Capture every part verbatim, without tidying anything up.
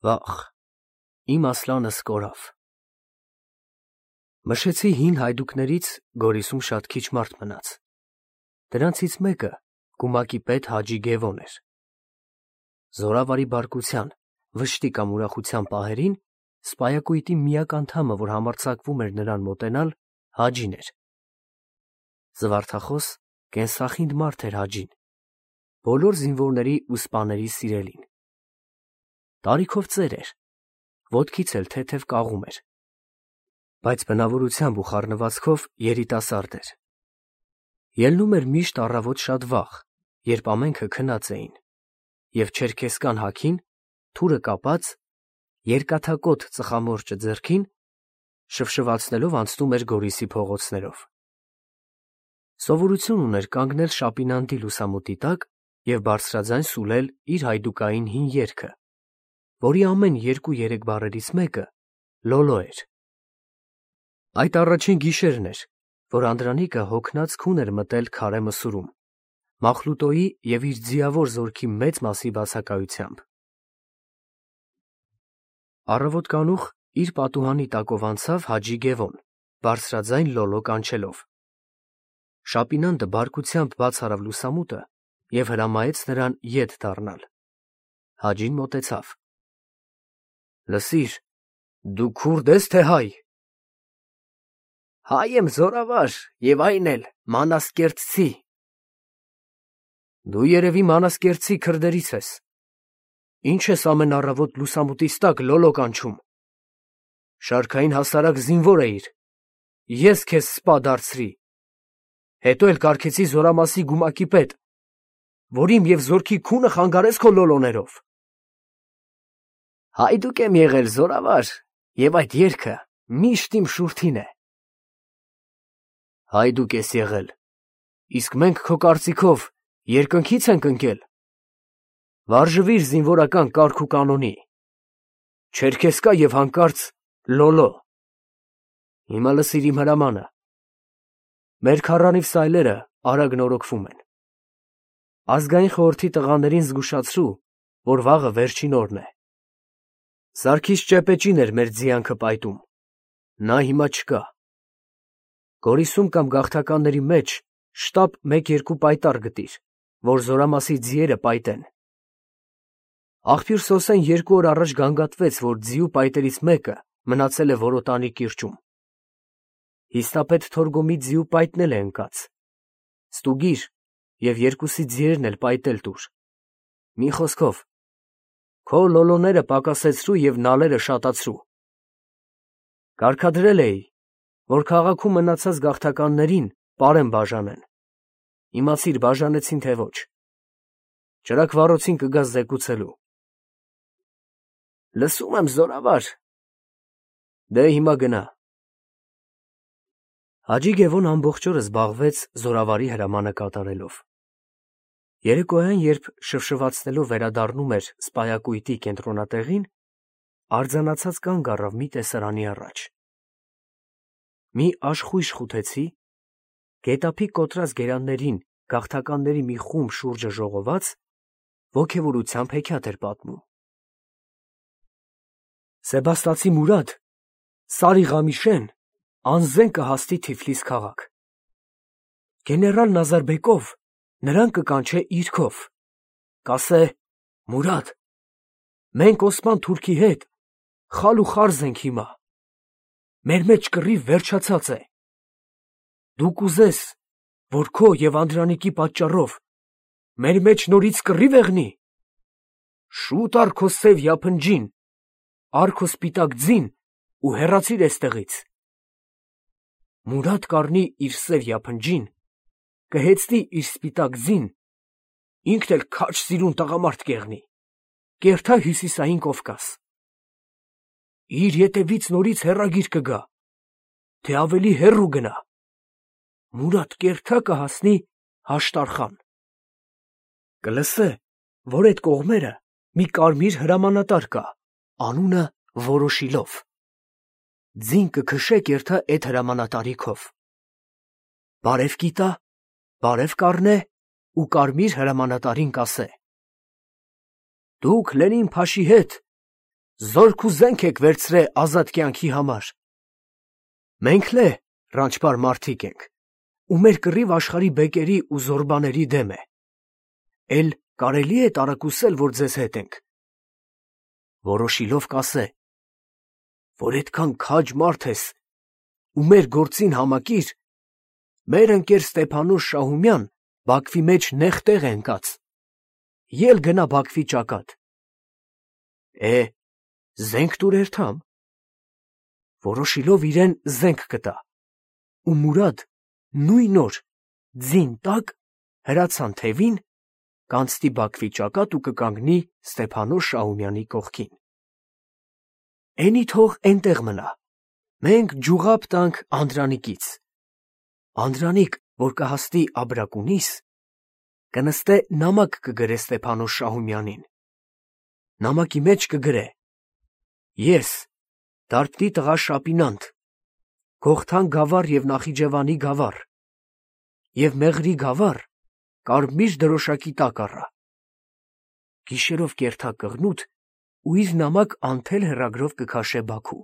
Վախ, իմ Ասլանս կորավ։ Մշեցի հին հայդուկներից Գորիսում շատ քիչ մարդ մնաց։ Դրանցից մեկը գումակի պետ Հաջի Գևոն էր։ Զորավարի բարկության, վշտի կամ ուրախության պահերին սպայակույտի միակ անդամը, որ համարձակվում էր նրան մոտենալ, Հաջին էր։ Զվարթախոս, կենսախինդ մարդ էր Հաջին, բոլոր զինվորների ու սպաների սիրելին։ Տարիքով ծեր էր, ոտքից էլ թեթև կաղում էր, բայց բնավորությամբ ու խառնվածքով երիտասարդ էր։ Ելնում էր միշտ առավոտ շատ վաղ, երբ ամենքը քնած էին, և չերքեզկան հագին, թուրը կապած, երկաթակոթ ծխամորճը ձեռքին, շվշվացնելով անցնում էր Գորիսի փողոցներով։ Սովորություն ուներ կանգնել շապինանդի լուսամուտի տակ և բարձրաձայն սուլել իր հայդուկային հին երգը, որի ամեն երկու֊երեք բառերից մեկը լոլո էր։ Այդ առաջին գիշերն էր, որ Անդրանիկը հոգնած քուն էր մտել քարե մսուրում, Մախլուտոյի և իր ձիավոր զորքի մեծ մասի բացակայությամբ։ Առավոտ կանուխ իր պատուհանի տակով անցավ Հաջի Գևոն, բարձրաձայն լոլո կանչելով։ Շապինանդը բարկությամբ բաց արավ լուսամուտը և հրամայեց նրան ետ դառնալ։ Հաջին մոտեցավ։ Լսիր, դու քուրդ ես, թե հայ։ Հայ եմ, զորավար, և այն էլ մանասկերտցի։ Դու երևի մանասկերտցի քրդերից ես։ Ինչ ես ամեն առավոտ լուսամուտից տակ լոլո կանչում։ Շարքային հասարակ զինվոր էիր, ես քեզ սպա դարձրի, հետո էլ կարգեցի զորամասի գումակի պետ, որ իմ և զորքի քունը խանգարես քո լոլոներով։ Հայդուկ եմ եղել, զորավար, և այդ երգը միշտ իմ շուրթին է։ Հայդուկ ես եղել, իսկ մենք քո կարծիքով երկնքի՞ց ենք ընկել։ Վարժվիր զինվորական կարգ ու կանոնի, չերքեզկա և հանկարծ լոլո։ Հիմա լսիր իմ հրամանը։ Մեր քառանիվ սայլերը արագ նորոգվում են։ Ազգային խորհրդի տղաներին զգուշացրու, որ վաղը վերջին օրն է։ Սարգիս Ճեպեճին էր մեր ձիանքը պայտում, նա հիմա չկա։ Գորիսում կամ գաղթականների մեջ շտապ մեկ֊երկու պայտառ գտիր, որ զորամասի ձիերը պայտեն։ Աղբյուր Սոսեն երկու օր առաջ գանգատվեց, որ ձիու պայտերից մեկը մնացել է Որոտանի կիրճում։ Հիստապետ Թորգոմի ձիու պայտն էլ է ընկած։ Ստուգիր և երկուսի ձիերն էլ պայտել տուր։ Մի խոսքով, քո լոլոները պակասեցրու և նալերը շատացրու։ Կարգադրել էի, որ քաղաքում մնացած գաղթականներին պարեն բաժանեն։ Իմացիր բաժանեցին, թե ոչ։ Ճրագ֊վառոցին կգաս զեկուցելու։ Լսում եմ, զորավար։ Դե հիմա գնա։ Հաջի Գևոն ամբողջ օրը զբաղվեց զորավարի հրամանը կատարելով։ Երեկոյան, երբ շվշվացնելով վերադառնում էր սպայակույտի կենտրոնատեղին, արձանացած կանգ առավ մի տեսարանի առաջ։ Մի աշխույժ խութեցի, գետափի կոտրած գերաններին գաղթականների մի խումբ շուրջը ժողոված, ոգևորությամբ հեքիաթ էր պատմում։ Սեբաստացի Մուրադ, Սարի Ղամիշեն անզեն կհասնի Թիֆլիս քաղաք։ Գեներալ Նազարբեկով նրան կկանչե իր քով, կասե. Մուրադ, մենք Օսման թուրքի հետ խալ ու խարզ ենք հիմա, մեր մեջ կռիվ վերջացած է, դու կուզես, որ քո և Անդրանիկի պատճառով մեր մեջ նորից կռիվ եղնի, շուտ առ քո սև յափնջին, առ քո սպիտակ ձին ու հեռացիր էստեղից։ Մուրադ կառնի իր սև յափնջին, կհեծնի իր սպիտակ ձին, ինքն էլ քաջ սիրուն տղամարդ կեղնի, կերթա Հյուսիսային Կովկաս։ Իր ետևից նորից հեռագիր կգա, թե ավելի հեռու գնա, Մուրադ կերթա կհասնի Հաշտարխան։ Կլսե, որ այդ կողմերը մի կարմիր հրամանատար կա, անունը Որոշիլով։ Ձին կքշե կերթա էդ հրամանատարի քով։ Բարև կիտա, բարև կառնե ու կարմիր հրամանատարին կասե. դուք Լենին Փաշի հետ զորք ու զենք եք վերցրե ազատ կյանքի համար։ Մենք լե ռանչպար մարդիկ ենք, ու մեր կռիվ աշխարհի բեկերի ու զորբաների դեմ է։ Էլ կարելի է տարակուսել, որ ձեզ հետ ենք։ Որոշիլով կասե, որ այդքան քաջ մարդ ես ու մեր գործին համակիր, մեր ընկեր Ստեփանոս Շահումյան Բաքվի մեջ նեղ տեղ է ընկած, ել գնա Բաքվի ճակատ։ Է, զենք տուր երթամ։ Որոշիլով իրեն զենք կտա, ու Մուրադ նույն օր ձին տակ հրացան թևին, կանցնի Բաքվի ճակատ ու կկանգնի Ստեփանոս Շահումյանի կողքին։ Էնի թող էնտեղ մնա, մենք ջուղապ տանք Անդրանիկից։ Անդրանիկ, որ կհասնի Աբրակունիս, կնստե նամակ կգրե Ստեփանոս Շահումյանին։ Նամակի մեջ կգրե. ես, Դարբնի տղա Շապինանդ, Գողթան գավառ և Նախիջևանի գավառ, և Մեղրի գավառ, կարմիր դրոշակի տակ առա։ Գիշերով կերթա կղնուտ ու իր նամակ անթել հեռագրով կքաշե Բաքու։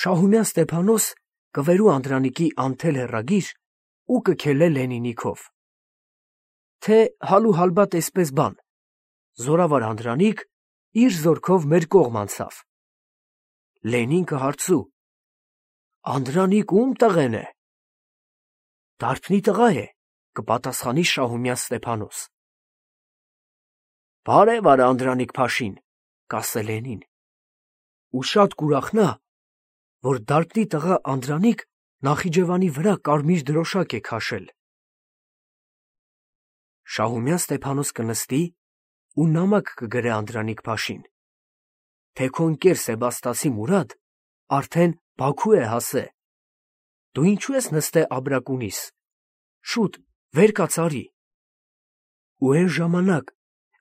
Շահումյան Ստեփանոս կվերու Անդրանիկի անթել հեռագիր ու կքելե Լենինի քով։ Թե հալու հալբատ էսպես բան, զորավար Անդրանիկ իր զորքով մեր կողմ անցավ։ Լենին կհարցու. Անդրանիկ ում տղեն է։ Դարբնի տղա է, կպատասխանի Շահումյան Ստեփանոս։ Բարև արա Անդրանիկ փաշին, կասե Լենին, ու շատ կուրախնա, որ Դարբնի տղա Անդրանիկ Նախիջևանի վրա կարմիր դրոշակ է քաշել։ Շահումյան Ստեփանոս կնստի ու նամակ կգրե Անդրանիկ փաշին, թե քո ընկեր Սեբաստասի Մուրադ արդեն Բաքու է հասե։ Դու ինչու ես նստե Աբրակունիս, շուտ վեր կաց արի։ Ու այն ժամանակ,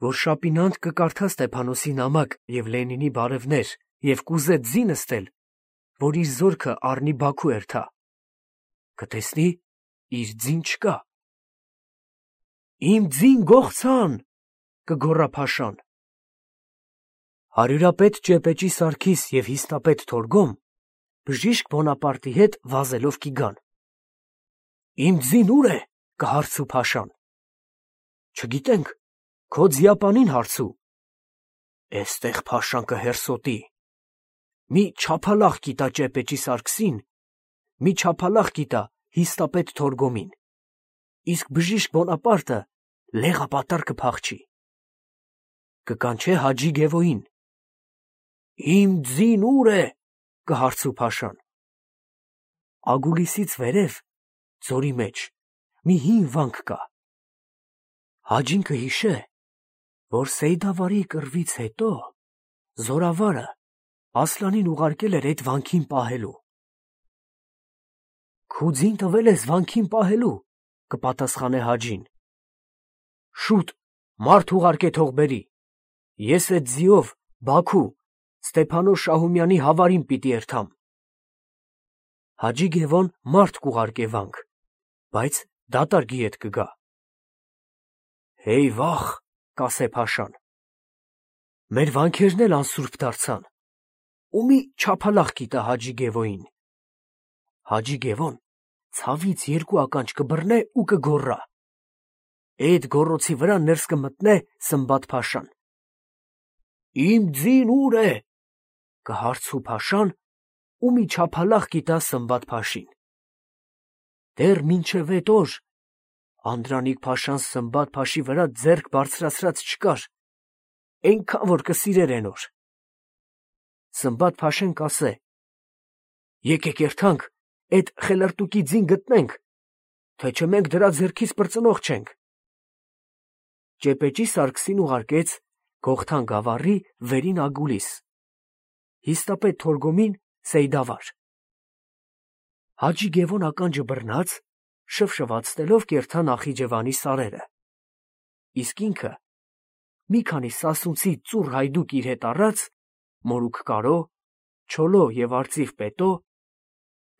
որ Շապինանդ կկարդա Ստեփանոսի նամակ և Լենինի բարևներ և կուզե ձի նստել, որ իր զորքը առնի Բաքու երթա, կտեսնի իր ձին չկա։ Իմ ձին գողցան, կգոռա փաշան։ Հարյուրապետ Ճեպեճի Սարգիս և հիստապետ Թորգոմ բժիշկ Բոնապարտի հետ վազելով կիգան։ Իմ ձին ուր է, կհարցու փաշան։ Չգիտենք, քո ձիապանին հարցու։ Էստեղ փաշան կհերսոտի։ Մի չափալախ կիտա Ճեպեճի Սարգսին, մի չափալախ կիտա հիստապետ Թորգոմին, իսկ բժիշկ Բոնապարտը լեղապատար կփախչի։ Կկանչե Հաջի Գևոյին։ Իմ ձին ուր է, կհարցու փաշան։ Ագուլիսից վերև, ձորի մեջ, մի հին վանք կա։ Հաջին կհիշե, որ Սեյդավարի կռվից հետո զորավարը Ասլանին ուղարկել էր այդ վանքին պահելու։ Քու ձին տվել ես վանքին պահելու, կպատասխանե Հաջին։ Շուտ մարդ ուղարկե թող բերի, ես այդ ձիով Բաքու Ստեփանոս Շահումյանի հավարին պիտի երթամ։ Հաջի Գևոն մարդ կուղարկե վանք, բայց դատարկ ետ կգա։ Հեյ վախ, կասե փաշան։ Մեր վանքերն էլ անսուրբ դարձան, ու մի չափալախ կիտա Հաջի Գևոյին։ Հաջի Գևոն ցավից երկու ականջ կբռնե ու կգոռա։ Էդ գոռոցի վրա ներս կմտնե Սմբատ փաշան։ Իմ ձին ուր է, կհարցու փաշան ու մի չափալախ կիտա Սմբատ փաշին։ Դեռ մինչև էդ օր Անդրանիկ փաշան Սմբատ փաշի վրա ձեռք բարձրացրած չկար, այնքան որ կսիրեր են օր։ Սմբատ փաշեն կասե. եկեք երթանք, էդ խելարտուկի ձին գտնենք, թե չէ մենք դրա ձեռքից պրծնող չենք։ Ճեպեճի Սարգսին ուղարկեց Գողթան գավառի վերին Ագուլիս, հիստապետ Թորգոմին Սեյդավար։ Հաջի Գևոն ականջը բռնած, շվշվացնելով կերթա Նախիջևանի սարերը, իսկ ինքը մի քանի սասունցի ծուռ հայդուկ իր հետ առած, մորուք կարո, չոլո և արծիվ պետո,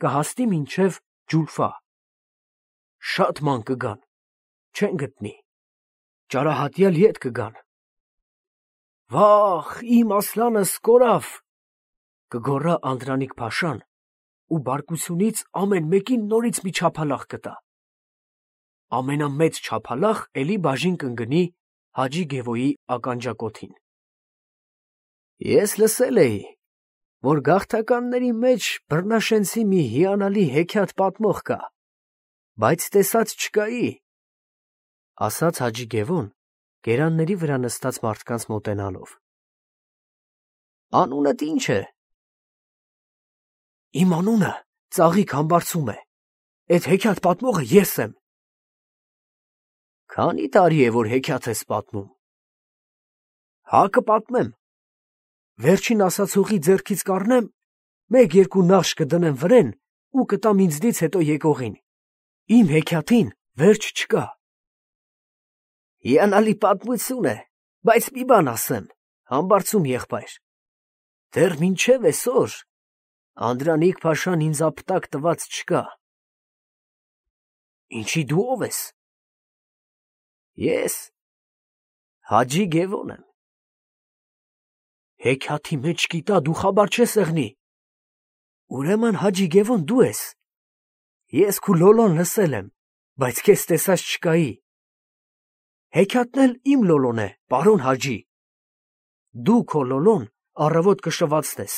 կհասնի մինչև Ջուլֆա։ Շատ ման կգան, չեն գտնի, ճարահատյալ ետ կգան։ Վախ, իմ ասլանս կորավ, կգոռա Անդրանիկ Փաշան ու բարկությունից ամեն մեկին նորից մի չափալախ կտա։ Ամենամեծ չափալախ էլի բաժին կընկնի Հաջի Գևոյի ականջակոթին։ Ես լսել էի, որ գաղթականների մեջ բռնաշենցի մի հիանալի հեքիաթ պատմող կա, բայց տեսած չկայի, ասաց Հաջի Գևոն գերանների վրա նստած մարդկանց մոտենալով։ Անունդ ի՞նչ է։ Իմ անունը Ծաղիկ Համբարձում է, էդ հեքիաթ պատմողը ես եմ։ Քանի տարի է, որ հեքիաթ ես պատմում։ Հա կպատմեմ։ Վերջին ասացողի ձեռքից կառնեմ, մեկ-երկու նախշ կդնեմ վրեն ու կտամ ինձնից հետո եկողին։ Իմ հեքիաթին վերջ չկա։ Հիանալի պատմություն է, բայց մի բան ասեմ, Համբարձում եղբայր, դեռ մինչև այսօր Անդրանիկ Փաշան ինձ ապտակ տված չկա։ Ինչի դու ով ես։ Ես Հաջի Գևոն եմ։ Հեքիաթի մեջ կիտա դու խաբար չես եղնի։ Ուրեմն Հաջի Գևոն դու ես։ Ես քու լոլոն լսել եմ, բայց քեզ տեսած չկայի։ Հեքիաթն էլ իմ լոլոն է, պարոն Հաջի։ Դու քո լոլոն առավոտ կշվացնես,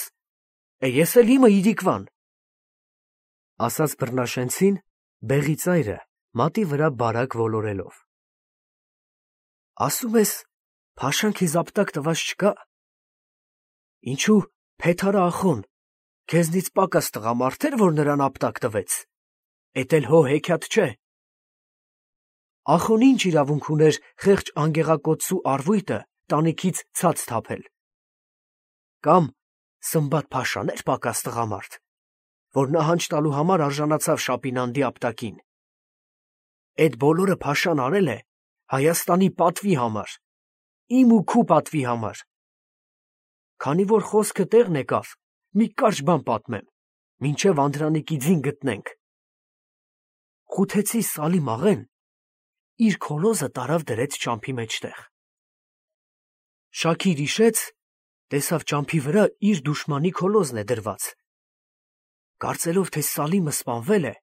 է ես էլ իմը իրիկվան։ Ասաց բռնաշենցին բեղի ծայրը մատի վրա բարակ ոլորելով։ Ասում ես, Փաշան քեզ ապտակ տված չկա։ Ինչու Փեթարա ախոն քեզնից պակաս տղամարդ էր, որ նրան ապտակ տվեց։ Էդ էլ հո հեքիաթ չէ։ Ախոն ինչ իրավունք ուներ խեղճ անգեղակոծու առվույտը տանիքից ցած թափել։ Կամ Սմբատ Փաշան էր պակաս տղամարդ, որ նահանջ տալու համար արժանացավ Շապինանդի ապտակին։ Էդ բոլորը Փաշան արել է Հայաստանի պատվի համար, իմ ու քու պատվի համար։ Քանի որ խոսքը տեղն եկավ, մի կարճ բան պատմեմ, մինչև Անդրանիկի ձին գտնենք։ Խութեցի Սալիմ աղեն իր քոլոզը տարավ դրեց ճամփի մեջտեղ։ Շաքիր հիշեց, տեսավ ճամփի վրա իր դուշմանի քոլոզն է դրված։ Կարծելով, թե Սալիմը սպանվել է,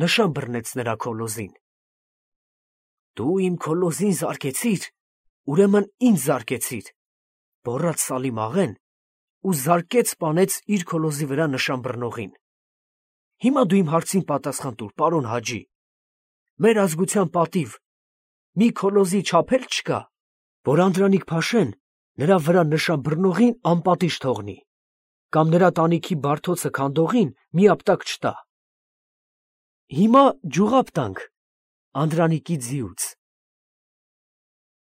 նշան բռնեց նրա քոլոզին։ Դու իմ քոլոզին զարկեցիր, ուրեմն ինձ զարկեցիր, բոռաց Սալիմ աղեն ու զարկեց սպանեց իր քոլոզի վրա նշան բռնողին։ Հիմա դու իմ հարցին պատասխան տուր, պարոն Հաջի, մեր ազգության պատիվ մի քոլոզի չափ էլ չկա, որ Անդրանիկ Փաշեն նրա վրա նշան բռնողին անպատիժ թողնի, կամ նրա տանիքի բարդոցը քանդողին մի ապտակ չտա։ Հիմա ջուղապ տանք Անդրանիկի ձիուց։